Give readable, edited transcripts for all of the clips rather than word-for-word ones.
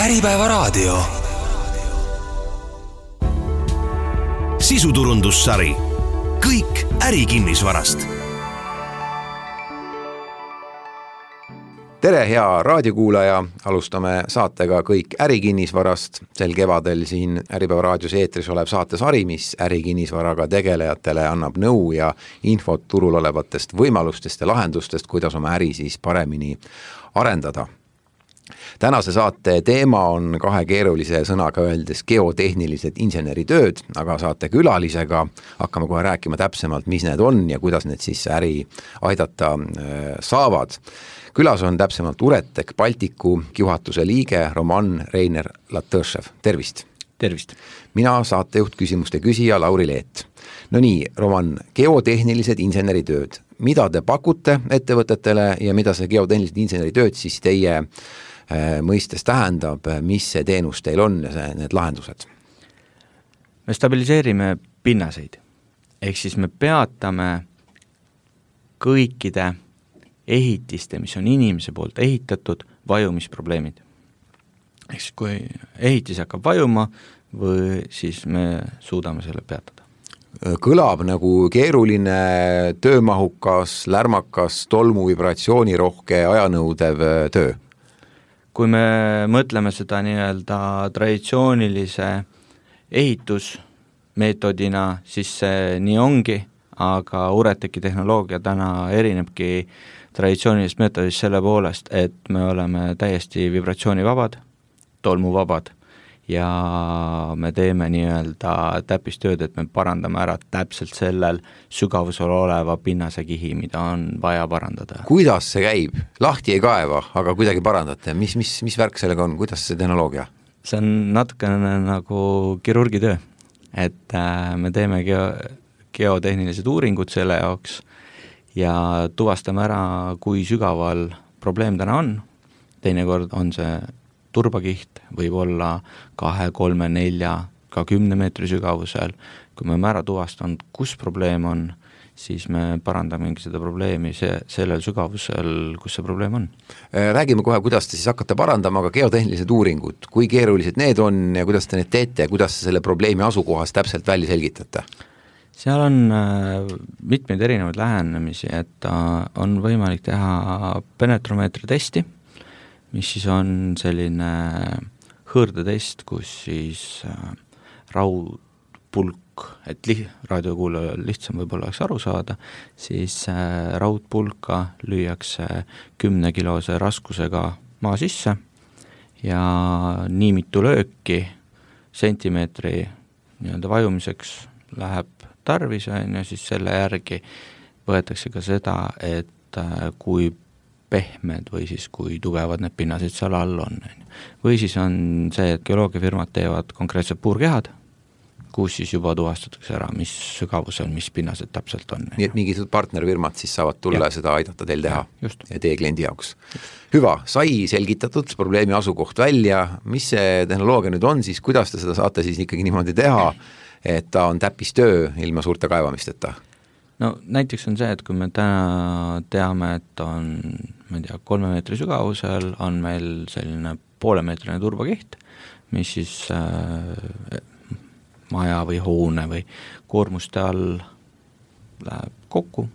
Äripäevaraadio. Sisuturundussari. Kõik ärikinnisvarast. Tere, hea raadiokuulaja! Alustame saatega Kõik ärikinnisvarast. Sel kevadel siin Äripäevaraadios eetris olev saatesari, mis ärikinnisvaraga tegelejatele annab nõu ja infot turul olevatest võimalustest ja lahendustest, kuidas oma äri siis paremini arendada. Tänase saate teema on kahe keerulise sõnaga öeldes geotehnilised inseneritööd, aga saate külalisega hakkame kohe rääkima täpsemalt, mis need on ja kuidas need siis äri aidata saavad. Külas on täpsemalt Uretech Balticu juhatuse liige Roman Reiner Latõšev. Tervist! Tervist! Mina saatejuht küsimuste küsija Lauri Leet. No nii, Roman, geotehnilised inseneritööd. Mida te pakute ettevõtetele ja mida see geotehnilised inseneritööd siis teie mõistes tähendab, mis see teenus teil on ja need lahendused? Me stabiliseerime pinnaseid. Ehk siis me peatame kõikide ehitiste, mis on inimese poolt ehitatud, vajumisprobleemid. Ehk siis kui ehitis hakkab vajuma, või siis me suudame selle peatada. Kõlab nagu keeruline, töömahukas, lärmakas, tolmu vibratsioonirohke, ajanõudev töö. Kui me mõtleme seda nii-öelda traditsioonilise ehitusmeetodina, siis see nii ongi, aga Uretechi tehnoloogia täna erinebki traditsioonilist meetodist selle poolest, et me oleme täiesti vibratsioonivabad, tolmuvabad ja me teeme nii-öelda täppistööd, et me parandame ära täpselt sellel sügavusel oleva pinnasekihi, mida on vaja parandada. Kuidas see käib? Lahti ei kaeva, aga kuidagi parandate. Mis värk sellega on? Kuidas see tehnoloogia? See on natukene nagu kirurgitöö, et me teeme geotehnilised uuringud selle jaoks ja tuvastame ära, kui sügaval probleem täna on. Teinekord on see turbakiht, võib olla 2, 3, 4, ka 10 meetri sügavusel. Kui me ära tuvastanud, kus probleem on, siis me parandamegi seda probleemi sellel sügavusel, kus see probleem on. Räägime kohe, kuidas te siis hakkate parandama, aga geotehnilised uuringud, kui keerulised need on ja kuidas te need teete ja kuidas te selle probleemi asukohas täpselt välja selgitate? Seal on mitmeid erinevaid lähenemisi, et on võimalik teha penetromeetri testi, mis siis on selline hõõrdetest, kus siis raudpulk, et raadiokuulajal lihtsam võib-olla oleks aru saada, siis raudpulka lüüakse 10-kilose raskusega maa sisse ja nii mitu lööki sentimeetri nii-öelda vajumiseks läheb tarvis ja siis selle järgi võetakse ka seda, et kui pehmed või siis kui tugevad need pinnased seal all on. Või siis on see, et geoloogiafirmad teevad konkreetsed puurkehad, kus siis juba tuvastatakse ära, mis sügavusel, mis pinnased täpselt on. Nii et mingid partnerfirmad siis saavad tulla ja seda aidata teil teha ja teie kliendi jaoks. Hüva, sai selgitatud probleemi asukoht välja, mis see tehnoloogia nüüd on siis, kuidas te seda saate siis ikkagi niimoodi teha, et ta on täppistöö ilma suurte kaevamisteta? No näiteks on see, et kui me täna teame, et on 3 meetri sügavusel, on meil selline poolemeetrine turbakiht, mis siis maja või hoone või koormuste all läheb kokku,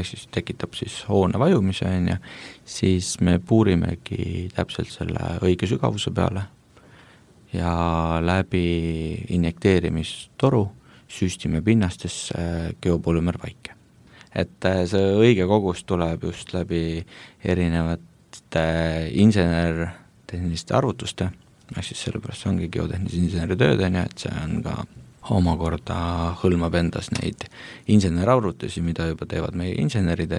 siis tekitab siis hoone vajumise, siis me puurimegi täpselt selle õige sügavuse peale ja läbi injekteerimistoru süstime pinnastesse geopolümervaike. Et see õige kogus tuleb just läbi erinevate insener-tehniliste arvutuste, siis sellepärast see ongi geotehnilised inseneritööd, et see on ka omakorda hõlmab endas neid insenerarvutusi, mida juba teevad meie insenerid,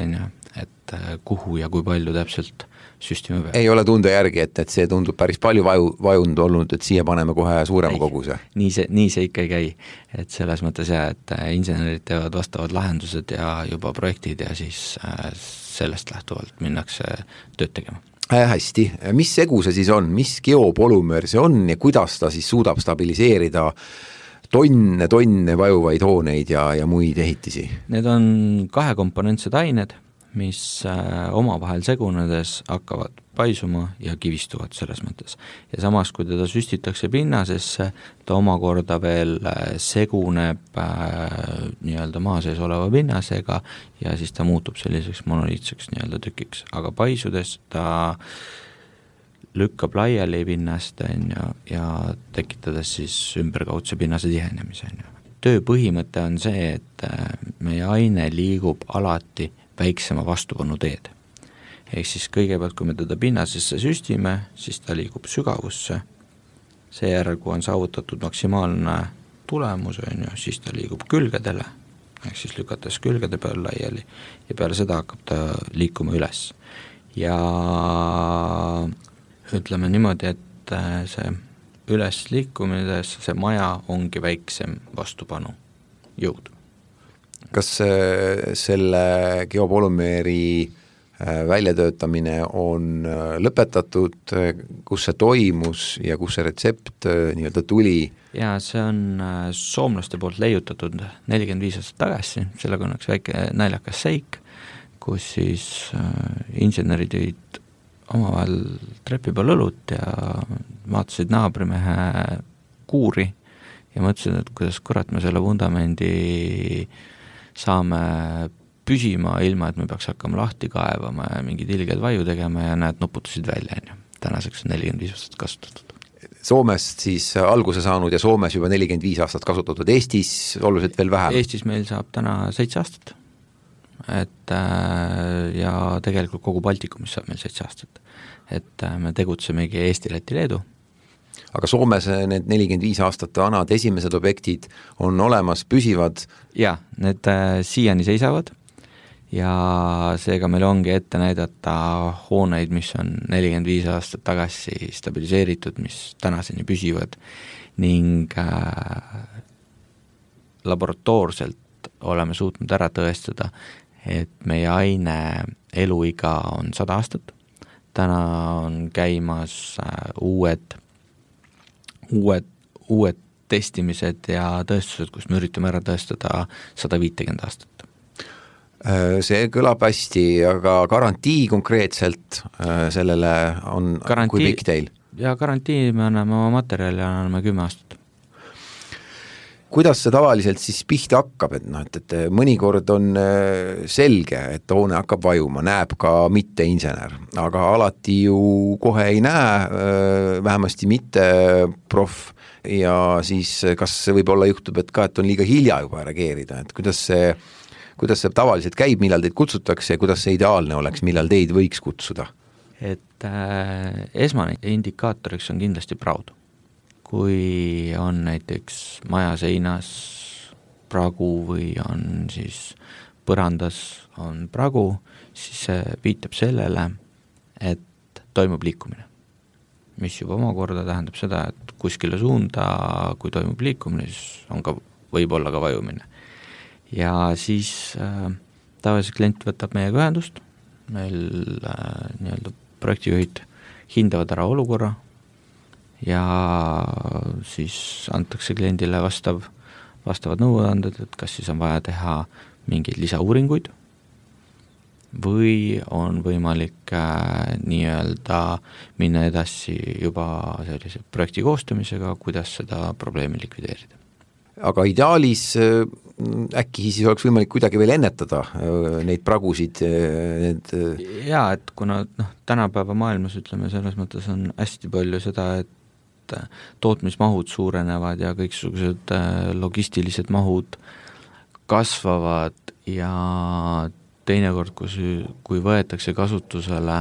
et kuhu ja kui palju täpselt süstime peale. Ei ole tunde järgi, et see tundub päris palju vajund olnud, et siia paneme kohe suurema koguse. Nii see ikka ei käi, et selles mõttes et insenerid teevad vastavad lahendused ja juba projektid ja siis sellest lähtuvalt minnakse tööd tegema. Hästi, mis segu see siis on, mis geopolümer see on ja kuidas ta siis suudab stabiliseerida tonne vajuvaid hooneid ja muid ehitisi? Need on kahekomponentsed ained, mis omavahel segunedes hakkavad paisuma ja kivistuvad selles mõttes. Ja samas, kui teda süstitakse pinnasesse, ta omakorda veel seguneb nii-öelda maa sees oleva pinnasega ja siis ta muutub selliseks monoliitseks nii-öelda tükiks. Aga paisudes ta lükkab laiali pinnast ja tekitades siis ümberkaudse pinnase tihenemise. Töö põhimõte on see, et meie aine liigub alati väiksema vastupanu teed. Ehk siis kõigepealt, kui me teda pinnasesse süstime, siis ta liigub sügavusse. Seejärel, kui on saavutatud maksimaalne tulemus, siis ta liigub külgedele, ehk siis lükates külgede peal laiali ja peale seda hakkab ta liikuma üles. Ja ütleme niimoodi, et see üles liikumides see maja ongi väiksem vastupanu jõud. Kas selle geopolümeeri väljatöötamine on lõpetatud, kus see toimus ja kus see retsept nii-öelda tuli? Ja see on soomlaste poolt leiutatud 45 aastat tagasi, sellega on üks väike naljakas seik, kus siis insenerid jõid omavahel trepi peal õlut ja vaatasid naabrimehe kuuri ja mõtlesid, et kuidas kurat me selle vundamendi saame püsima ilma, et me peaks hakkama lahti kaevama ja mingid ilged vaju tegema ja näed, nuputasid välja. Tänaseks on 45 aastat kasutatud. Soomest siis alguse saanud ja Soomes juba 45 aastat kasutatud, Eestis oluliselt veel vähem? Eestis meil saab täna 7 aastat. Et ja tegelikult kogu Baltikumis saab meil 7 aastat. Et me tegutsemegi Eesti, Läti, Leedu. Aga Soomes need 45 aastat vanad esimesed objektid on olemas, püsivad? Ja, need siiani seisavad ja seega meil ongi ette näidata hooneid, mis on 45 aastat tagasi stabiliseeritud, mis tänaseni püsivad ning laboratoorselt oleme suutnud ära tõestada, et meie aine eluiga on 100 aastat. Täna on käimas uued testimised ja tõestused, kus me üritame ära tõestada 150 aastat. See kõlab hästi, aga garantii konkreetselt sellele on kui pikk teil? Ja garantii me anname oma materjali ja anname 10 aastat. Kuidas see tavaliselt siis pihta hakkab, et mõnikord on selge, et hoone hakkab vajuma, näeb ka mitte insener, aga alati ju kohe ei näe, vähemasti mitte proff ja siis kas võib olla juhtub, et et on liiga hilja juba reageerida, et kuidas see tavaliselt käib, millal teid kutsutakse ja kuidas see ideaalne oleks, millal teid võiks kutsuda? Et esmane indikaatoriks on kindlasti praud. Kui on näiteks maja seinas pragu või on siis põrandas on pragu, siis see viitab sellele, et toimub liikumine. Mis juba omakorda tähendab seda, et kuskile suunda, kui toimub liikumine, siis on ka, võib olla ka vajumine. Ja siis tavaliselt klient võtab meiega ühendust, meil nii-öelda projektijuhid hindavad ära olukorra, ja siis antakse kliendile vastavad nõuanded, et kas siis on vaja teha mingeid lisauuringuid või on võimalik nii-öelda minna edasi juba sellise projekti koostamisega, kuidas seda probleemi likvideerida. Aga ideaalis äkki siis oleks võimalik kuidagi veel ennetada neid pragusid? Jaa, et kuna tänapäeva maailmas ütleme selles mõttes on hästi palju seda, et tootmismahud suurenevad ja kõiksugused logistilised mahud kasvavad ja teinekord, kui võetakse kasutusele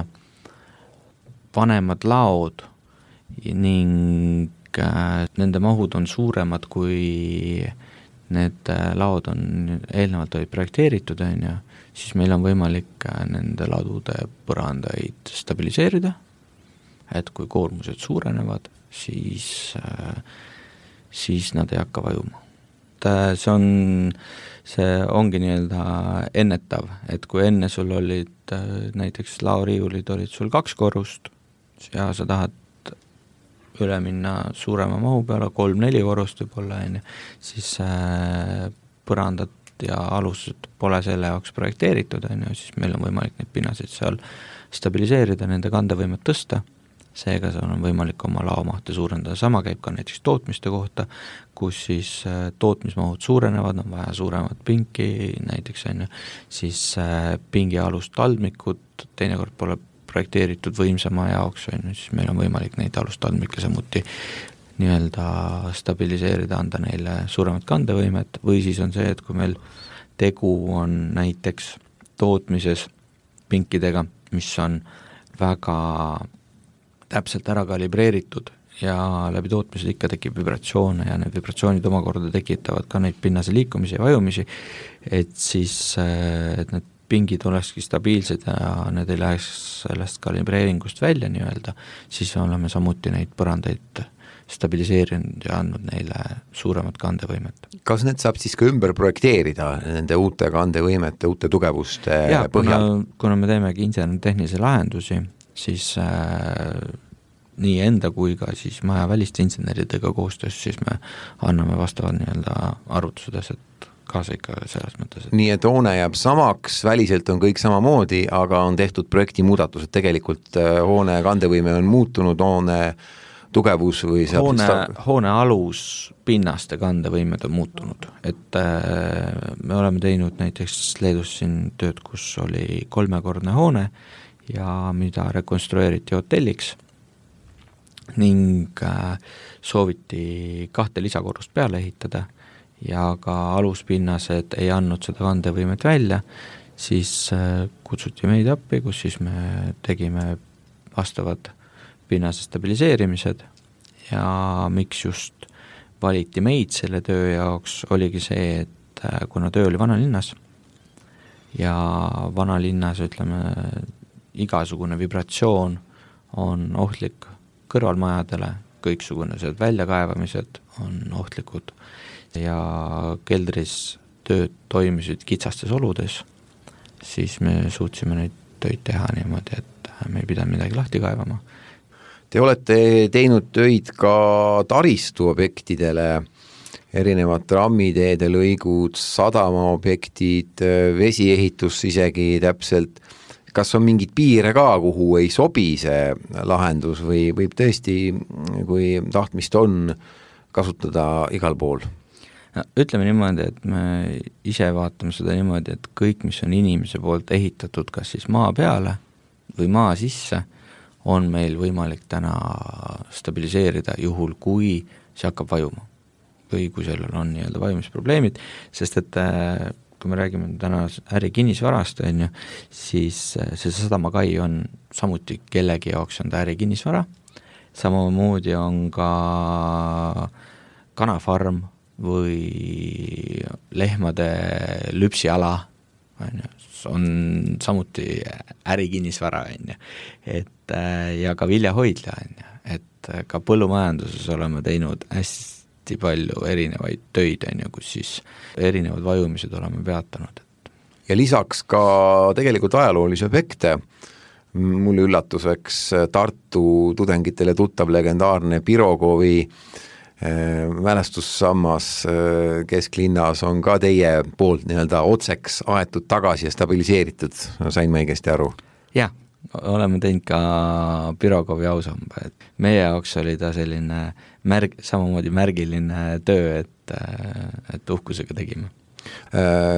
vanemad laod ning nende mahud on suuremad, kui need laod on eelnevalt olid projekteeritud, siis meil on võimalik nende ladude põrandaid stabiliseerida, et kui koormused suurenevad, siis nad ei hakka vajuma. See ongi nii-öelda ennetav, et kui enne sul olid näiteks laoriiulid olid sul 2 korrust ja sa tahad üle minna suurema mahu peale, 3-4 korrust võib olla, siis põrandad ja alused pole selle jaoks projekteeritud, siis meil on võimalik neid pinnaseid seal stabiliseerida, nende kandevõimet tõsta, seega seal on võimalik oma laomahte suurendada. Sama käib ka näiteks tootmiste kohta, kus siis tootmismahud suurenevad, on vaja suuremat pinki näiteks, siis pingialust taldmikud teinekord pole projekteeritud võimsama jaoks, siis meil on võimalik neid alustaldmikke samuti nii-öelda stabiliseerida, anda neile suuremat kandevõimet, või siis on see, et kui meil tegu on näiteks tootmises pinkidega, mis on väga täpselt ära kalibreeritud ja läbi tootmised ikka tekib vibratsioone ja need vibratsioonid omakorda tekitavad ka neid pinnase liikumisi ja vajumisi, et siis et need pingid olekski stabiilsed ja need ei läheks sellest kalibreeringust välja nii-öelda, siis oleme samuti neid põrandaid stabiliseerinud ja andnud neile suuremat kandevõimet. Kas need saab siis ka ümber projekteerida nende uute kandevõimete, uute tugevuste põhjal? Kuna me teemegi insener-tehnilisi lahendusi, siis nii enda kui ka siis maja väliste inseneridega koostöös, siis me anname vastavad nii-öelda arvutused kaasa ikka selles mõttes. Nii et hoone jääb samaks, väliselt on kõik samamoodi, aga on tehtud projekti muudatused, tegelikult hoone kandevõime on muutunud, hoone tugevus või hoone alus pinnaste kandevõimed on muutunud, et me oleme teinud näiteks Leedus siin tööd, kus oli 3-kordne hoone ja mida rekonstrueeriti hotelliks ning sooviti 2 lisakorrust peale ehitada ja ka aluspinnased ei andnud seda kandevõimet välja, siis kutsuti meid appi, kus siis me tegime vastavad pinnase stabiliseerimised ja miks just valiti meid selle töö jaoks, oligi see, et kuna töö oli vanalinnas ja vanalinnas, ütleme, igasugune vibratsioon on ohtlik kõrvalmajadele, kõiksugused väljakaevamised on ohtlikud ja keldris tööd toimisid kitsastes oludes, siis me suutsime neid töid teha niimoodi, et me ei pidanud midagi lahti kaevama. Te olete teinud töid ka taristuobjektidele, erinevad rammiteede lõigud, sadamaobjektid, vesiehitus isegi täpselt. Kas on mingid piire ka, kuhu ei sobi see lahendus või võib tõesti, kui tahtmist on, kasutada igal pool? Ütleme niimoodi, et me ise vaatame seda niimoodi, et kõik, mis on inimese poolt ehitatud, kas siis maa peale või maa sisse, on meil võimalik täna stabiliseerida juhul, kui see hakkab vajuma või kui sellel on nii-öelda vajumisprobleemid, sest et kui me räägime täna ärikinnisvarast, siis see sadamakai on samuti kellegi jaoks on ta ärikinnisvara, samamoodi on ka kanafarm või lehmade lüpsiala on samuti ärikinnisvara, et ja ka viljahoidla, et ka põllumajanduses oleme teinud hästi palju erinevaid töid, kus siis erinevad vajumised oleme peatanud. Ja lisaks ka tegelikult ajaloolisi objekte, mulle üllatuseks Tartu tudengitele tuttav legendaarne Pirogovi mälestussammas kesklinnas on ka teie poolt nii-öelda otseks aetud tagasi ja stabiliseeritud, sain ma õigesti aru? Jah, oleme teinud ka Pirogovi ausamba, et meie jaoks oli ta selline samamoodi märgiline töö, et uhkusega tegime.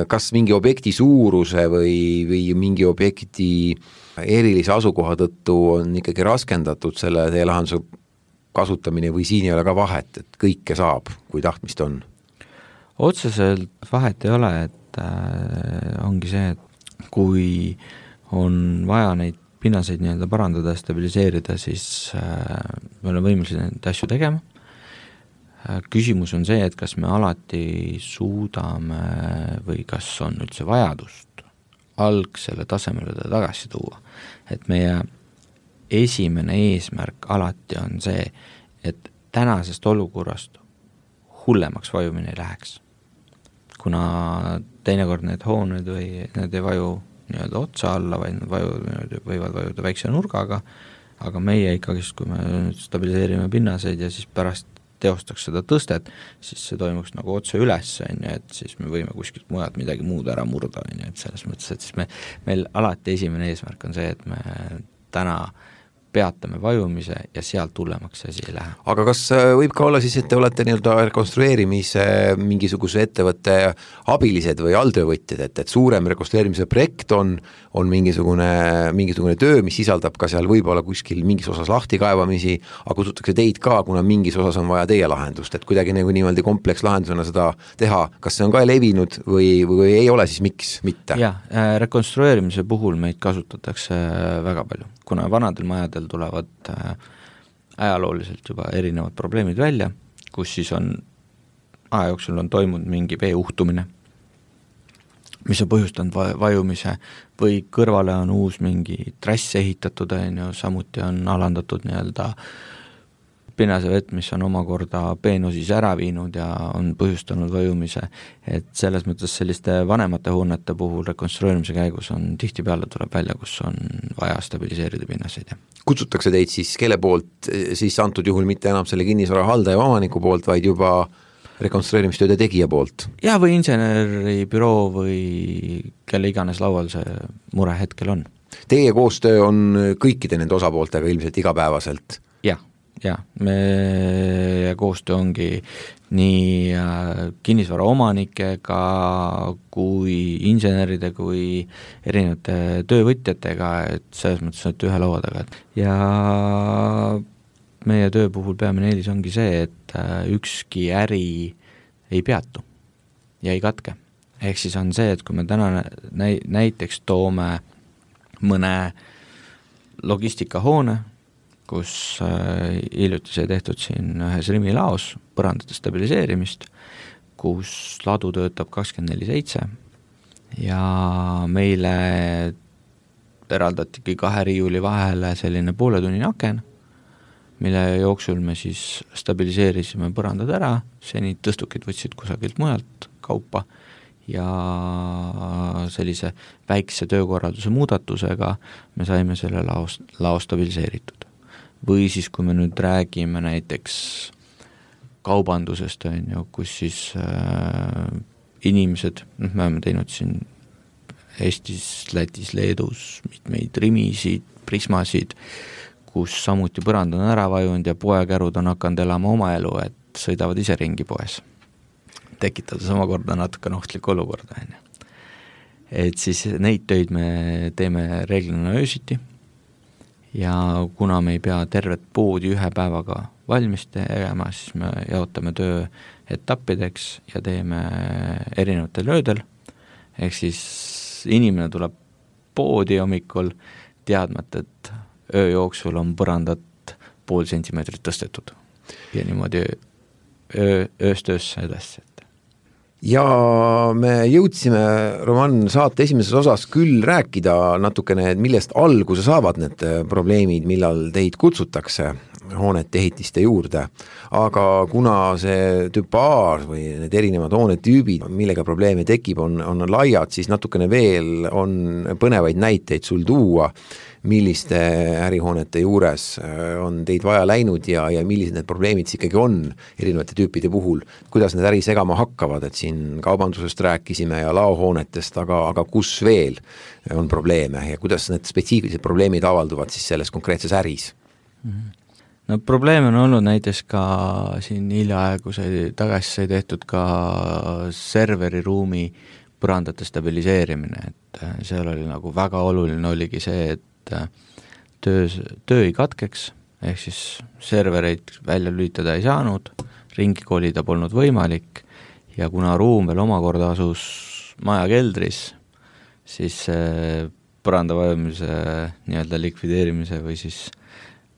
Kas mingi objekti suuruse või mingi objekti erilise asukoha tõttu on ikkagi raskendatud selle teie lahenduse kasutamine või siin ei ole ka vahet, et kõike saab, kui tahtmist on? Otseselt vahet ei ole, et ongi see, et kui on vaja neid pinnaseid nii-öelda parandada ja stabiliseerida, siis me oleme võimelised neid asju tegema. Küsimus on see, et kas me alati suudame või kas on üldse vajadust algsele tasemele tagasi tuua, et meie esimene eesmärk alati on see, et tänasest olukorrast hullemaks vajumine ei läheks. Kuna teinekord need hooned või need ei vaju nii-öelda otsa alla, vaid nad võivad vajuda väikse nurgaga, aga meie ikkagi, kui me stabiliseerime pinnaseid ja siis pärast teostaks seda tõstet, siis see toimuks nagu otse üles, et siis me võime kuskilt mujalt midagi muud ära murda, et selles mõttes, et siis meil alati esimene eesmärk on see, et me täna peatame vajumise ja sealt hullemaks asi ei lähe. Aga kas võib ka olla siis, et te olete nii-öelda rekonstrueerimise mingisuguse ettevõtte abilised või alltöövõtjad, et suurem rekonstrueerimise projekt on mingisugune töö, mis sisaldab ka seal võib-olla kuskil mingis osas lahtikaevamisi, aga kutsutakse teid ka, kuna mingis osas on vaja teie lahendust, et kuidagi nagu niimoodi komplekslahendusena seda teha, kas see on ka levinud või ei ole, siis miks mitte? Jah, rekonstrueerimise puhul meid kasutatakse väga palju, kuna vanadel majadel tulevad ajalooliselt juba erinevad probleemid välja, kus siis on aja jooksul on toimunud mingi vee uhtumine, mis on põhjustanud vajumise või kõrvale on uus mingi trass ehitatud, samuti on alandatud nii-öelda pinnasevett, mis on omakorda peenosis ära viinud ja on põhjustanud vajumise, et selles mõttes selliste vanemate hoonete puhul rekonstrueerimise käigus on tihtipeale tuleb välja, kus on vaja stabiliseerida pinnaseid. Kutsutakse teid siis kelle poolt, siis antud juhul mitte enam selle kinnisvara haldaja omaniku poolt, vaid juba rekonstrueerimistööde tegija poolt? Ja või inseneribüroo või kelle iganes laual see mure hetkel on. Teie koostöö on kõikide nende osapooltega ilmselt igapäevaselt? Ja meie koostöö ongi nii kinnisvara omanikega kui inseneride kui erinevate töövõtjatega, et selles mõttes, et ühe laua taga. Ja meie töö puhul peamine eelis ongi see, et ükski äri ei peatu ja ei katke. Ehk siis on see, et kui me täna näiteks toome mõne logistikahoone, kus hiljuti sai tehtud siin ühes Rimi laos põrandate stabiliseerimist, kus ladu töötab 24/7 ja meile eraldatigi 2 riiuli vahele selline pooletunnine aken, mille jooksul me siis stabiliseerisime põrandad ära, seni tõstukid võtsid kusagilt mujalt kaupa ja sellise väikse töökorralduse muudatusega me saime selle lao stabiliseeritud. Või siis, kui me nüüd räägime näiteks kaubandusest, kus siis inimesed, me oleme teinud siin Eestis, Lätis, Leedus mitmeid Rimisid, Prismasid, kus samuti põrand on ära vajunud ja poekärud on hakanud elama oma elu, et sõidavad ise ringi poes, tekitades omakorda natuke ohtlikku olukorda. Et siis neid töid me teeme reeglina öösiti ja kuna me ei pea tervet poodi ühe päevaga valmis tegema, siis me jaotame töö etappideks ja teeme erinevatel öödel, ehk siis inimene tuleb poodi hommikul teadmata, et öö jooksul on põrandat 0,5 sentimeetrit tõstetud ja niimoodi ööst öösse edasi. Ja me jõudsime, Roman, saate esimeses osas küll rääkida natukene, millest alguse saavad need probleemid, millal teid kutsutakse hoonete ehitiste juurde, aga kuna see tüpaar või need erinevad hoonetüübid, millega probleeme tekib, on laiad, siis natukene veel on põnevaid näiteid sul tuua, milliste ärihoonete juures on teid vaja läinud ja millised need probleemid ikkagi on erinevate tüüpide puhul, kuidas need äri segama hakkavad, et siin kaubandusest rääkisime ja laohoonetest, aga kus veel on probleeme ja kuidas need spetsiifilised probleemid avalduvad siis selles konkreetses äris? No probleem on olnud näiteks ka siin hiljaaegu tagasi sai tehtud ka serveriruumi põrandate stabiliseerimine, et seal oli nagu väga oluline oligi see, et töö ei katkeks, ehk siis servereid välja lülitada ei saanud, ringi kolida polnud võimalik ja kuna ruum veel omakorda asus maja keldris, siis põranda vajumise nii-öelda likvideerimise või siis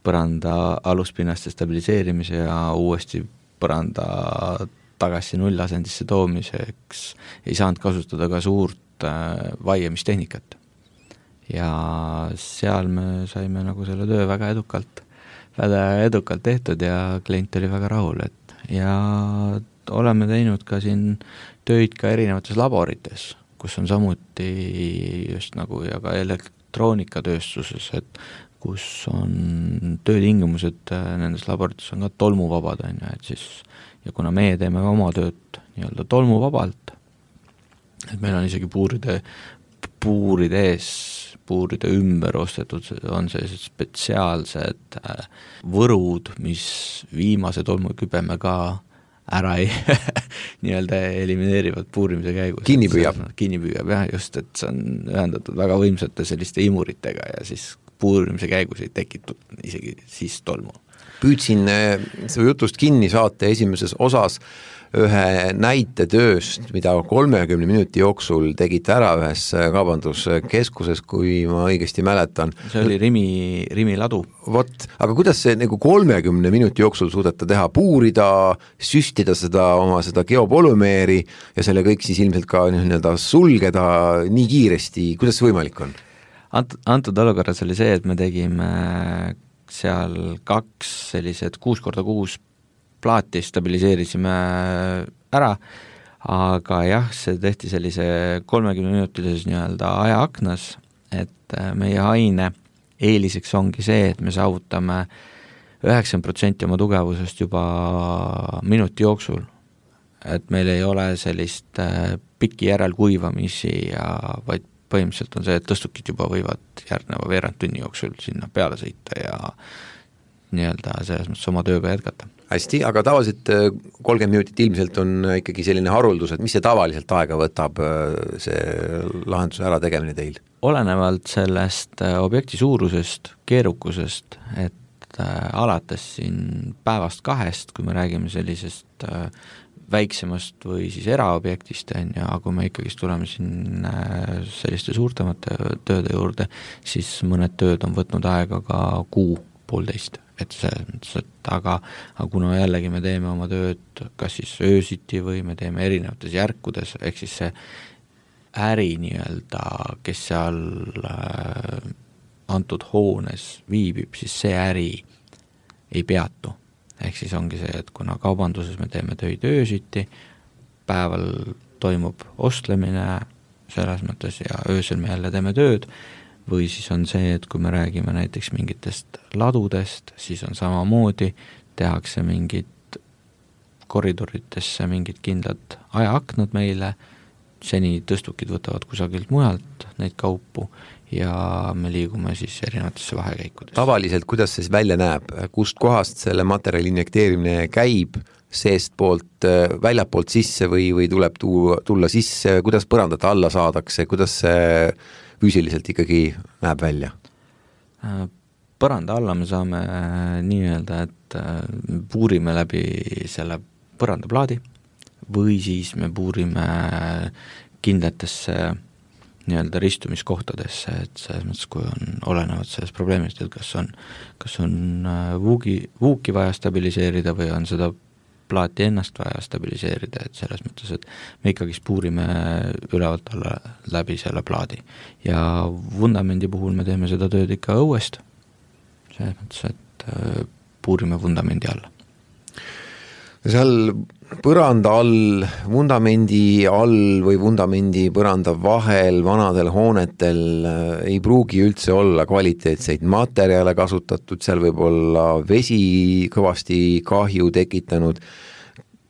põranda aluspinnaste stabiliseerimise ja uuesti põranda tagasi nullasendisse toomiseks ei saanud kasutada ka suurt vaiemistehnikat. Ja seal me saime nagu selle töö väga edukalt tehtud ja klient oli väga rahul, ja oleme teinud ka siin töid ka erinevates laborites, kus on samuti just nagu ja ka elektroonikatööstuses, et kus on töötingimused nendes laborites on ka tolmuvabad, on ju, et siis ja kuna meie teeme ka oma tööd nii-öelda tolmuvabalt, et meil on isegi puuride ümber ostetud, on sellised spetsiaalsed võrud, mis viimase tolmukübeme ka ära nii-öelda elimineerivad puurimise käigus. Kinni püüab, jah, just, et see on ühendatud väga võimsate selliste imuritega ja siis puurimise käigus ei tekitud isegi siis tolmu. Püüdsin su jutust kinni saate esimeses osas ühe näite tööst, mida 30 minuti jooksul tegite ära ühes kaubanduskeskuses, kui ma õigesti mäletan. See oli Rimi ladu. Vot, aga kuidas see nagu 30 minuti jooksul suudeta teha, puurida, süstida seda geopolümeeri ja selle kõik siis ilmselt ka nii-öelda sulgeda nii kiiresti, kuidas see võimalik on? Antud olukorras oli see, et me tegime seal 2 sellised 6x6 plaati stabiliseerisime ära, aga jah, see tehti sellise 30-minutilises nii-öelda ajaaknas, et meie aine eeliseks ongi see, et me saavutame 90% oma tugevusest juba minuti jooksul, et meil ei ole sellist pikki järelkuivamisi vaid põhimõtteliselt on see, et tõstukid juba võivad järgneva veerand tunni jooksul sinna peale sõita ja nii-öelda selles mõttes oma tööga jätkata. Hästi, aga tavaliselt 30 minutit ilmselt on ikkagi selline haruldus, et mis see tavaliselt aega võtab see lahenduse ära tegemine teil? Olenevalt sellest objekti suurusest, keerukusest, et alates siin päevast 2, kui me räägime sellisest väiksemast või siis eraobjektist, ja kui me ikkagi tuleme siin selliste suurtemate tööde juurde, siis mõned tööd on võtnud aega ka 1.5 kuu, et selles mõttes, et aga kuna jällegi me teeme oma tööd kas siis öösiti või me teeme erinevates järkudes, ehk siis see äri nii-öelda, kes seal antud hoones viibib, siis see äri ei peatu. Ehk siis ongi see, et kuna kaubanduses me teeme töid öösiti, päeval toimub ostlemine selles mõttes ja öösel me jälle teeme tööd, või siis on see, et kui me räägime näiteks mingitest ladudest, siis on samamoodi, tehakse mingid koridoritesse mingid kindlad ajaaknad meile, seni tõstukid võtavad kusagilt mujalt neid kaupu ja me liigume siis erinevatesse vahekäikudes. Tavaliselt, kuidas see välja näeb, kust kohast selle materjali injekteerimine käib, seest poolt, väljapoolt sisse või tuleb tulla sisse, kuidas põrandat alla saadakse, kuidas see füüsiliselt ikkagi näeb välja? Põranda alla me saame nii-öelda, et puurime läbi selle põrandaplaadi või siis me puurime kindlatesse nii-öelda ristumiskohtadesse, et selles mõttes, kui on olenevad sellest probleemist, et kas on vuuki vaja stabiliseerida või on seda plaati ennast vaja stabiliseerida, et selles mõttes, et me ikkagi puurime ülevalt alla läbi selle plaadi. Ja vundamendi puhul me teeme seda tööd ikka õuest, selles mõttes, et puurime vundamendi alla. Seal põranda all, vundamendi all või vundamendi põranda vahel vanadel hoonetel ei pruugi üldse olla kvaliteetseid materjale kasutatud, seal võib olla vesi kõvasti kahju tekitanud.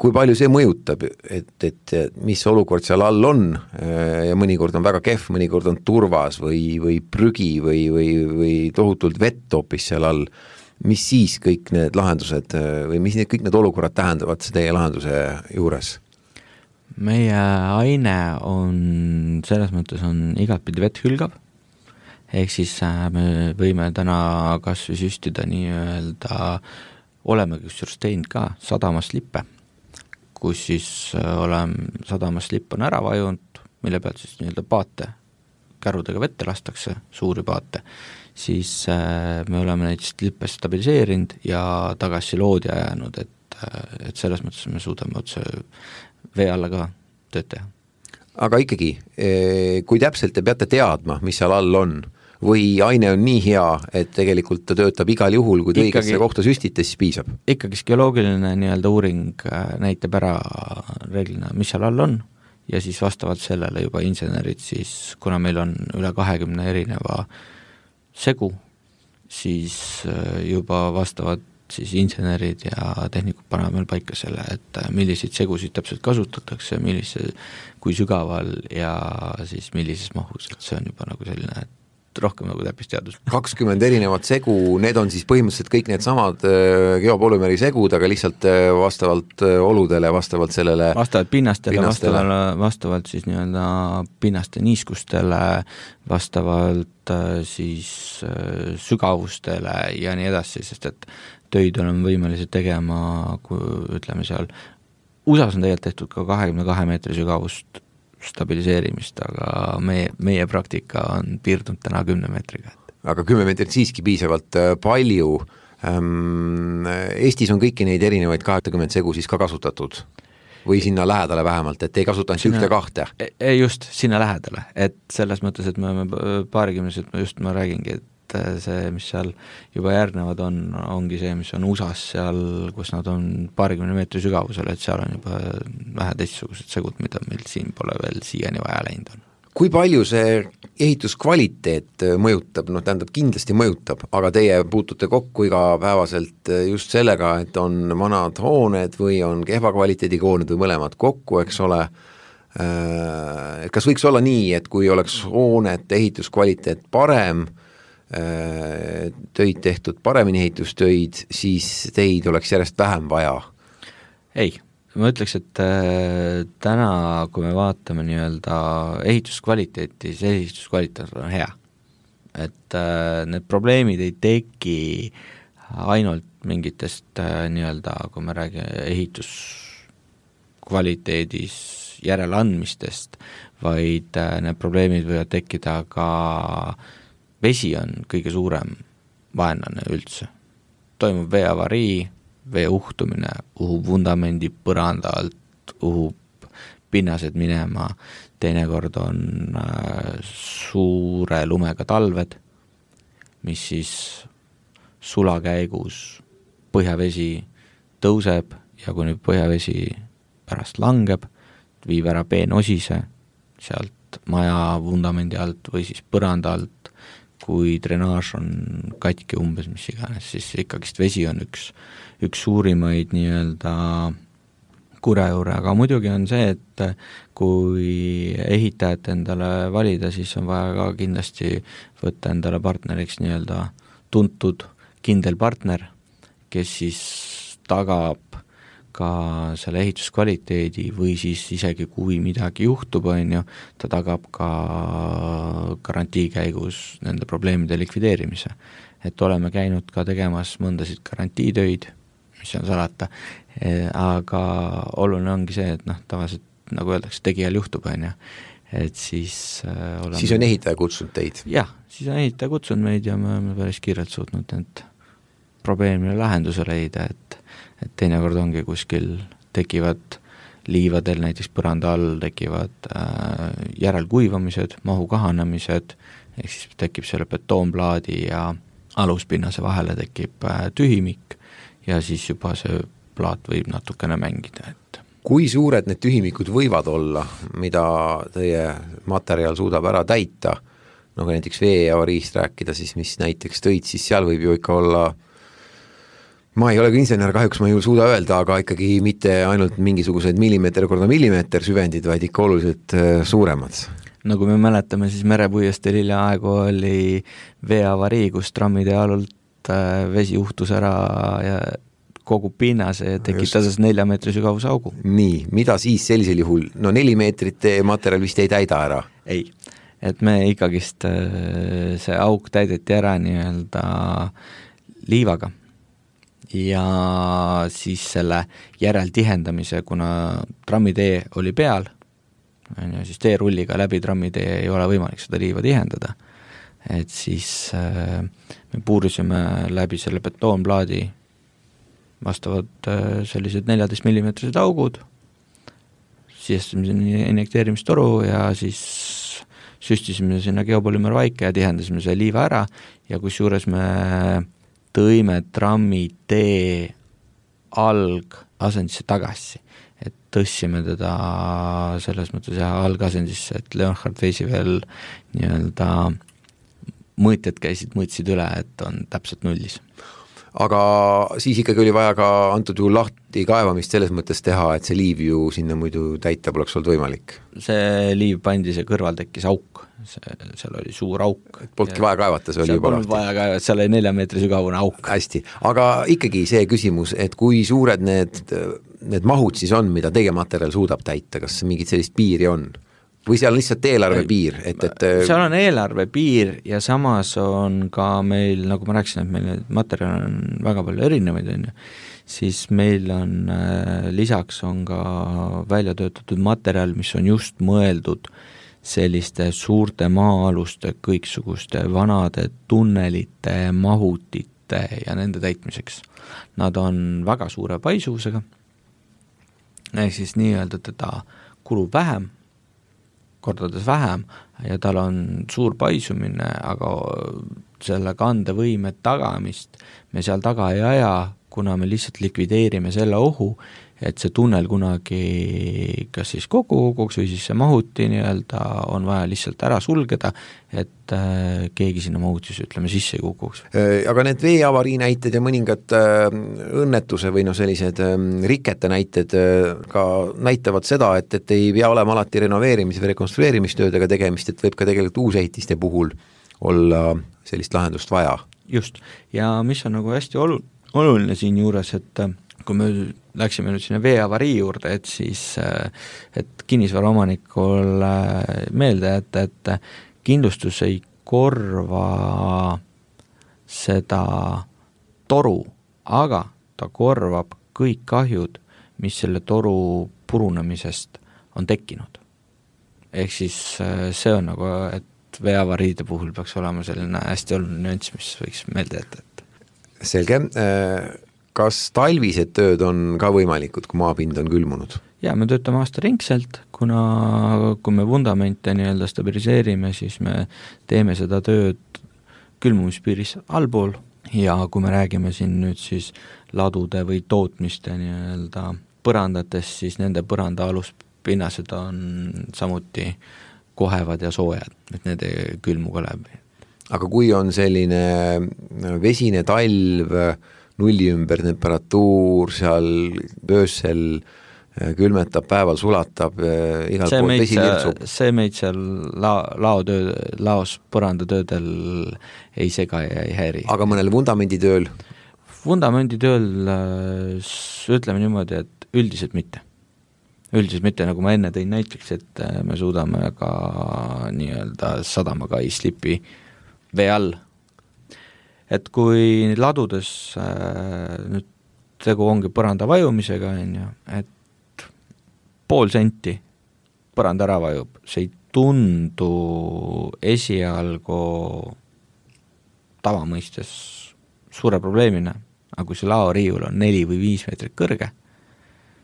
Kui palju see mõjutab, et mis olukord seal all on ja mõnikord on väga kehv, mõnikord on turvas või prügi või tohutult vett hoopis seal all, mis siis kõik need lahendused või mis kõik need olukorrad tähendavad teie lahenduse juures? Meie aine on selles mõttes on igatpidi vett hülgav, ehk siis me võime täna kas või süstida nii-öelda, oleme kusjuures teinud ka sadamaslippe, kus siis sadamaslipp on ära vajunud, mille pealt siis nii-öelda paate kärudega vette lastakse, suuri paate, siis me oleme neid slippe stabiliseerinud ja tagasi loodi ajanud, et selles mõttes me suudame otse vee alla ka tööd teha. Aga ikkagi, kui täpselt te peate teadma, mis seal all on, või aine on nii hea, et tegelikult ta töötab igal juhul, kui te õigesse kohta süstite, siis piisab? Ikkagi geoloogiline nii-öelda uuring näitab ära reeglina, mis seal all on, ja siis vastavalt sellele juba insenerid siis, kuna meil on üle 20 erineva segu, siis juba vastavad siis insenerid ja tehnikud panevad meil paika selle, et milliseid segusid täpselt kasutatakse, kui sügaval ja siis millises mahus, et see on juba nagu selline, et rohkem nagu täppisteadus. 20 erinevat segu, need on siis põhimõtteliselt kõik need samad geopolümeri segud, aga lihtsalt vastavalt oludele, vastavalt sellele vastavalt pinnastele. Vastavalt siis nii-öelda pinnaste niiskustele, vastavalt siis sügavustele ja nii edasi, sest et töid oleme võimelised tegema, kui ütleme seal, USA-s on tegelikult tehtud ka 22 meetri sügavust stabiliseerimist, aga meie praktika on piirdunud täna 10 meetriga. Aga 10 meetrit siiski piisavalt palju. Eestis on kõiki neid erinevaid 20 segu siis ka kasutatud või sinna lähedale vähemalt, et ei kasutanud ühte kahte? Ei just, sinna lähedale, et selles mõttes, et me oleme paarikümnesed, just ma räägingi, et see, mis seal juba järgnevad ongi see, mis on USA-s seal, kus nad on 20 meetri sügavusel, et seal on juba vähe teistsugused segud, mida meil siin pole veel siiani vaja läinud on. Kui palju see ehituskvaliteet mõjutab, tähendab kindlasti mõjutab, aga teie puutute kokku igapäevaselt just sellega, et on vanad hooned või on kehva kvaliteediga hooned või mõlemad kokku, eks ole. Kas võiks olla nii, et kui oleks hoonete ehituskvaliteet parem, töid tehtud paremini ehitustöid, siis teid oleks järjest vähem vaja? Ei, ma ütleks, et täna, kui me vaatame nii-öelda ehituskvaliteeti, see ehituskvaliteet on hea. Et need probleemid ei teki ainult mingitest nii-öelda, kui me räägime ehituskvaliteedis järeleandmistest, vaid need probleemid võivad tekkida ka vesi on kõige suurem vaenlane üldse. Toimub veeavarii, vee uhtumine, uhub vundamendi põranda alt, uhub pinnased minema, teinekord on suure lumega talved, mis siis sula käigus põhjavesi tõuseb ja kui nüüd põhjavesi pärast langeb, viib ära peenosise sealt maja vundamendi alt või siis põranda alt, kui drenaaž on katki umbes mis iganes, siis ikkagist vesi on üks suurimaid nii-öelda kurja juure, aga muidugi on see, et kui ehitajat endale valida, siis on vaja ka kindlasti võtta endale partneriks nii-öelda tuntud kindel partner, kes siis tagab ka selle ehituskvaliteedi või siis isegi kui midagi juhtub, ta tagab ka garantii käigus nende probleemide likvideerimise. Et oleme käinud ka tegemas mõndasid garantiitöid, mis on salata, aga oluline ongi see, et tavaliselt, nagu öeldakse, tegijal juhtub, et siis oleme... Siis on ehitaja kutsunud teid? Jah, siis on ehitaja kutsunud meid ja me oleme päris kiirelt suutnud need probleemile lahenduse leida, et teinekord ongi kuskil tekivad liivadel, näiteks põranda all tekivad järelkuivamised, mahu kahanemised, ehk siis tekib selle betoonplaadi ja aluspinnase vahele tekib tühimik ja siis juba see plaat võib natukene mängida. Et kui suured need tühimikud võivad olla, mida teie materjal suudab ära täita, kui näiteks veeavariist rääkida, siis mis näiteks tõid, siis seal võib ju ikka olla, ma ei ole ka insener, kahjuks ma ei suuda öelda, aga ikkagi mitte ainult mingisugused millimeeter korda millimeeter süvendid, vaid ikka oluliselt suuremad. Nagu me mäletame, siis merepuiesteel hiljaaegu oli veeavarii, kus trammide alult vesi uhtus ära ja kogu pinnase ja tekitas 4 meetri sügavuse augu. Nii, mida siis sellisel juhul? 4 meetrit materjal vist ei täida ära? Ei, et me ikkagist see auk täideti ära nii-öelda liivaga ja siis selle järeltihendamise, kuna trammitee oli peal, siis teerulliga läbi trammitee ei ole võimalik seda liiva tihendada, et siis me puurisime läbi selle betoonplaadi vastavad sellised 14 millimeetrised augud, sisestasime injekteerimistoru ja siis süstisime sinna geopolümer vaike ja tihendasime selle liiva ära ja kusjuures me tõime trammitee algasendisse tagasi, et tõstsime teda selles mõttes algasendisse, et Leonhard Weisi veel nii-öelda mõõtjad mõõtsid üle, et on täpselt nullis. Aga siis ikkagi oli vaja ka antud juhul lahti kaevamist selles mõttes teha, et see liiv ju sinna muidu täita poleks olnud võimalik. See liiv pandi, see kõrval tekkis auk, seal oli suur auk. Polnudki vaja kaevata, see oli juba lahti. Vaja kaevata, seal oli 4 meetri sügavune auk. Hästi, aga ikkagi see küsimus, et kui suured need mahud siis on, mida teie materjal suudab täita, kas mingit sellist piiri on? Või seal on lihtsalt eelarve piir? Seal on eelarve piir ja samas on ka meil, nagu ma rääkisin, et meil materjal on väga palju erinevaid, siis meil on lisaks on ka välja töötatud materjal, mis on just mõeldud selliste suurte maa-aluste, kõiksuguste vanade tunnelite, mahutite ja nende täitmiseks. Nad on väga suure paisuvusega, siis nii-öelda teda kulub vähem, kordades vähem ja tal on suur paisumine, aga selle kandevõime tagamist me seal taga ei aja, kuna me lihtsalt likvideerime selle ohu, et see tunnel kunagi kas siis koguks või siis see mahuti nii-öelda on vaja lihtsalt ära sulgeda, et keegi sinna mahutis, ütleme, sisse ei kukuks. Aga need veeavarii näited ja mõningad õnnetuse või sellised rikete näited ka näitavad seda, et ei pea olema alati renoveerimise või rekonstrueerimistöödega tegemist, et võib ka tegelikult uusehitiste puhul olla sellist lahendust vaja. Just, ja mis on nagu hästi oluline siin juures, et kui me läksime nüüd sinna veeavarii juurde, et siis et kinnisvaraomanikul meelde, et kindlustus ei korva seda toru, aga ta korvab kõik kahjud, mis selle toru purunemisest on tekkinud. Ehk siis see on nagu, et veeavariide puhul peaks olema selline hästi oluline nüanss, mis võiks meelde jätta. Selge. Kas talvised tööd on ka võimalikud, kui maapind on külmunud? Ja me töötame aastaringselt, kuna kui me vundamente nii-öelda stabiliseerime, siis me teeme seda tööd külmumispiiris allpool ja kui me räägime siin nüüd siis ladude või tootmiste nii-öelda põrandates, siis nende põranda aluspinnased on samuti kohevad ja soojad, et need ei külmu ka läbi. Aga kui on selline vesine talv, nulli ümber temperatuur, seal öösel külmetab, päeval sulatab, igal pool vesi lirtsub. See meid seal laos põrandatöödel ei sega ja ei häiri. Aga mõnel vundamenditööl? Vundamenditööl ütleme niimoodi, et üldiselt mitte. Üldiselt mitte, nagu ma enne tõin näiteks, et me suudame ka nii-öelda sadamaga ei slipi vee all. Et kui ladudes nüüd tegu ongi põranda vajumisega, et pool senti põranda ära vajub, see ei tundu esialgu tavamõistes suure probleemina, aga kui see laoriiul on 4 või 5 meetrit kõrge,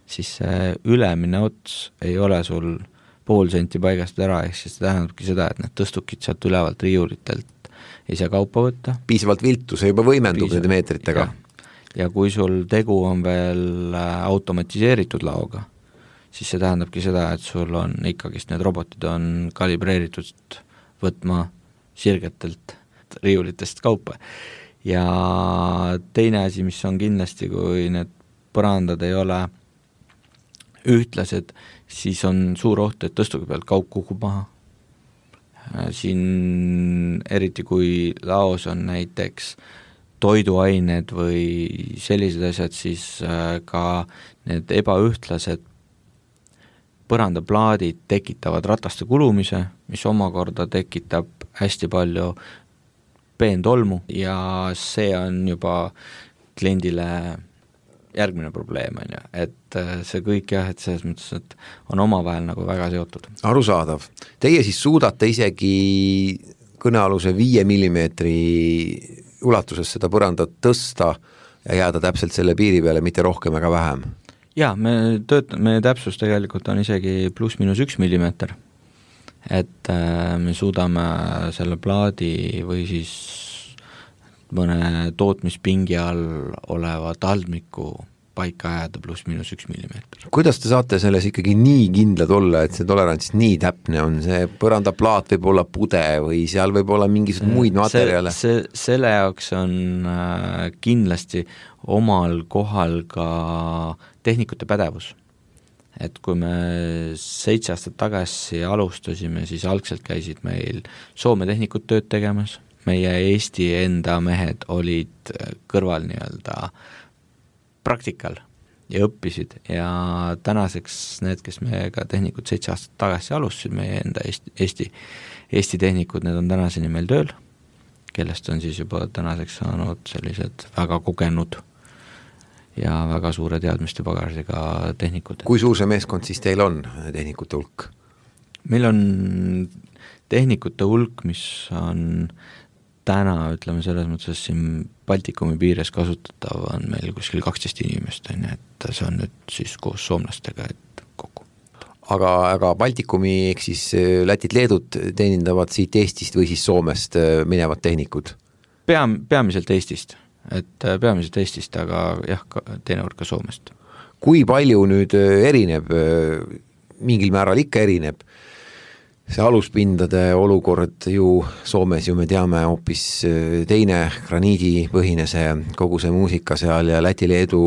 siis see ülemine ots ei ole sul pool senti paigast ära, ehk siis tähendabki seda, et need tõstukid sealt ülevalt riiulitelt ei saa kaupa võtta. Piisavalt viltu, see juba võimendub nende meetritega. Ja kui sul tegu on veel automatiseeritud laoga, siis see tähendabki seda, et sul on ikkagist need robotid on kalibreeritud võtma sirgetelt riiulitest kaupa. Ja teine asi, mis on kindlasti, kui need põrandad ei ole ühtlased, siis on suur oht, et tõstugi pealt kaup kukub maha. Siin eriti kui laos on näiteks toiduained või sellised asjad, siis ka need ebaühtlased põrandaplaadid tekitavad rataste kulumise, mis omakorda tekitab hästi palju peentolmu ja see on juba kliendile järgmine probleem, et see kõik jah, et selles mõttes, et on omavahel nagu väga seotud. Arusaadav. Teie siis suudate isegi kõnealuse 5 millimeetri ulatuses seda põrandat tõsta ja jääda täpselt selle piiri peale, mitte rohkem ega vähem? Jaa, me täpsus tegelikult on isegi +-1 millimeeter. Et me suudame selle plaadi või siis mõne tootmispingi all oleva taldmiku paika ajada +/–1 millimeeter. Kuidas te saate selles ikkagi nii kindlad olla, et see tolerants nii täpne on, see põrandaplaat võib olla pude või seal võib olla mingisugused muid materjale? Selle jaoks on kindlasti omal kohal ka tehnikute pädevus. Et kui me 7 aastat tagasi alustasime, siis algselt käisid meil Soome tehnikud tööd tegemas, meie Eesti enda mehed olid kõrval nii-öelda praktikal ja õppisid ja tänaseks need, kes meiega tehnikud 7 aastat tagasi alustasid, meie enda Eesti tehnikud, need on tänaseni meil tööl, kellest on siis juba tänaseks saanud sellised väga kogenud ja väga suure teadmiste pagasiga tehnikud. Kui suur see meeskond siis teil on, tehnikute hulk? Meil on tehnikute hulk, mis on täna, ütleme selles mõttes, siin Baltikumi piires kasutatav on meil kuskil 12 inimest, et see on nüüd siis koos soomlastega kokku. Aga Baltikumi ehk siis Lätit, Leedut teenindavad siit Eestist või siis Soomest minevad tehnikud? Peamiselt Eestist, aga jah, teinekord ka Soomest. Kui palju nüüd erineb, mingil määral ikka erineb, see aluspindade olukord ju Soomes ju me teame hoopis teine graniidipõhine see kogu see muusika seal ja Läti-Leedu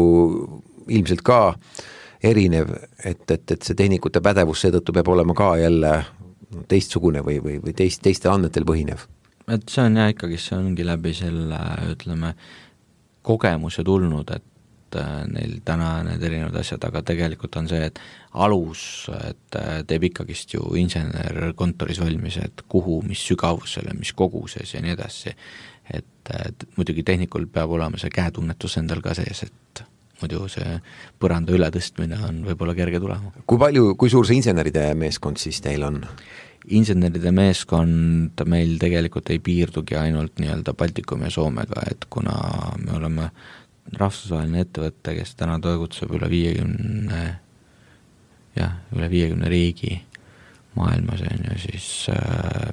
ilmselt ka erinev, et see tehnikute pädevus seetõttu peab olema ka jälle teistsugune või teiste andmetel põhinev. Et see on ikkagi, see ongi läbi selle, ütleme, kogemuse tulnud, et neil täna need erinevad asjad, aga tegelikult on see, et alus, et teeb ikkagist ju insener kontoris valmis, et kuhu, mis sügavusele, mis koguses ja nii edasi, et muidugi tehnikul peab olema see käetunnetus endal ka sees, et muidu see põranda ületõstmine on võib-olla kerge tulema. Kui suur see inseneride meeskond siis teil on? Inseneride meeskond meil tegelikult ei piirdugi ainult nii-öelda Baltikumi ja Soomega, et kuna me oleme rahvusvaheline ettevõtte, kes täna toegutseb üle 50 riigi maailmas, siis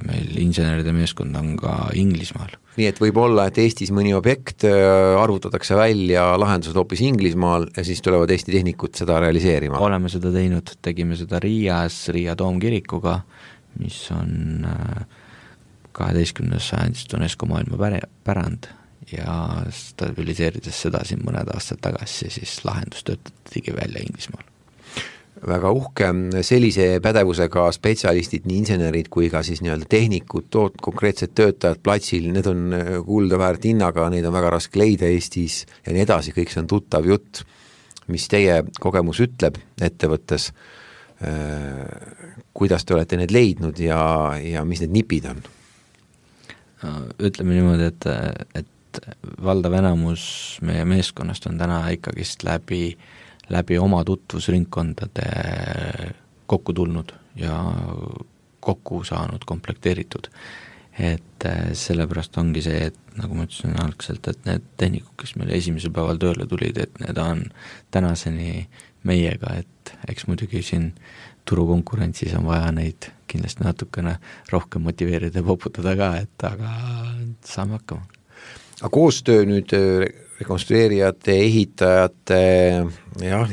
meil inseneride meeskond on ka Inglismaal. Nii et võib olla, et Eestis mõni objekt arvutatakse välja lahendused hoopis Inglismaal ja siis tulevad Eesti tehnikud seda realiseerima? Oleme seda teinud, tegime seda Riias, Riia Toomkirikuga, mis on 12. sajandist UNESCO maailma pärand ja stabiliseerides seda siin mõned aastad tagasi, siis lahendus töötatigi välja Inglismaal. Väga uhke, sellise pädevusega spetsialistid, nii insenerid kui ka siis nii-öelda tehnikud, konkreetsed töötajad platsil, need on kuulda väärt hinnaga, neid on väga raske leida Eestis ja nii edasi, kõik see on tuttav jutt, mis teie kogemus ütleb ettevõttes, kuidas te olete need leidnud ja mis need nipid on? Ütleme niimoodi, et valdav enamus meie meeskonnast on täna ikkagist läbi oma tutvusringkondade kokku tulnud ja kokku saanud, komplekteeritud. Et sellepärast ongi see, et nagu ma ütlesin algselt, et need tehnikud, kes meil esimesel päeval tööle tulid, et need on tänaseni meiega, et eks muidugi siin turukonkurentsis on vaja neid kindlasti natukene rohkem motiveerida ja poputada ka, et aga saame hakkama. Aga koostöö nüüd rekonstrueerijate, ehitajate,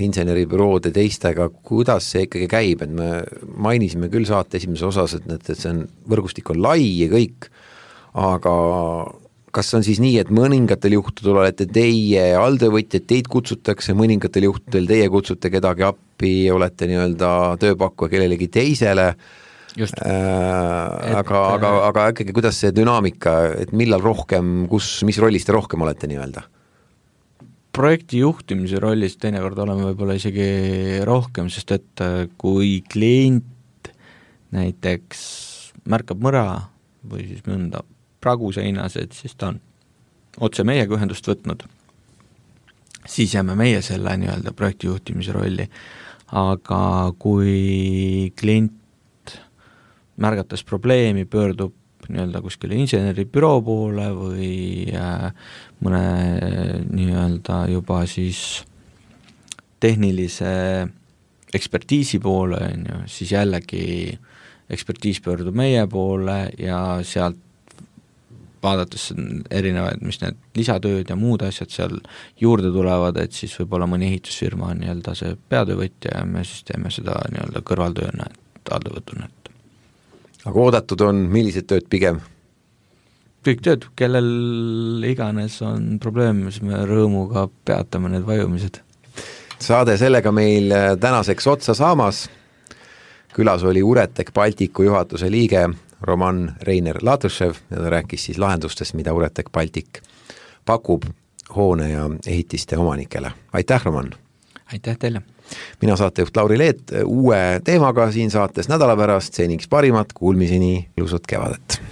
inseneribüroode teistega, kuidas see ikkagi käib, et me mainisime küll saate esimeses osas, et see on, võrgustik on lai ja kõik, aga kas on siis nii, et mõningatel juhtudel olete teie alltöövõtjad, teid kutsutakse, mõningatel juhtudel teie kutsute kedagi appi, olete nii-öelda tööpakkuja kellelegi teisele, aga ikkagi kuidas see dünaamika, et millal rohkem, mis rollis te rohkem olete nii-öelda? Projekti juhtimise rollis teinekord oleme võib-olla isegi rohkem, sest et kui klient näiteks märkab mõra või siis mõnda pragu seinas, et siis ta on otse meiega ühendust võtnud, siis jääme meie selle nii-öelda projekti juhtimise rolli, aga kui klient märgates probleemi pöördub nii-öelda kuskile inseneribüroo poole või mõne nii-öelda juba siis tehnilise ekspertiisi poole, siis jällegi ekspertiis pöördub meie poole ja sealt vaadates erinevaid, mis need lisatööd ja muud asjad seal juurde tulevad, et siis võib-olla mõni ehitusfirma on nii-öelda see peatöövõtja ja me siis teeme seda nii-öelda kõrvaltööna, et alltöövõtuna. Aga oodatud on millised tööd pigem? Kõik tööd, kellel iganes on probleem, siis me rõõmuga peatame need vajumised. Saade sellega meil tänaseks otsa saamas. Külas oli Uretech Balticu juhatuse liige Roman Reiner Latõšev ja ta rääkis siis lahendustest, mida Uretech Baltic pakub hoone ja ehitiste omanikele. Aitäh, Roman! Aitäh teile! Mina saatejuht Lauri Leet uue teemaga siin saates nädala pärast, seniks parimat, kuulmiseni, ilusat kevadet!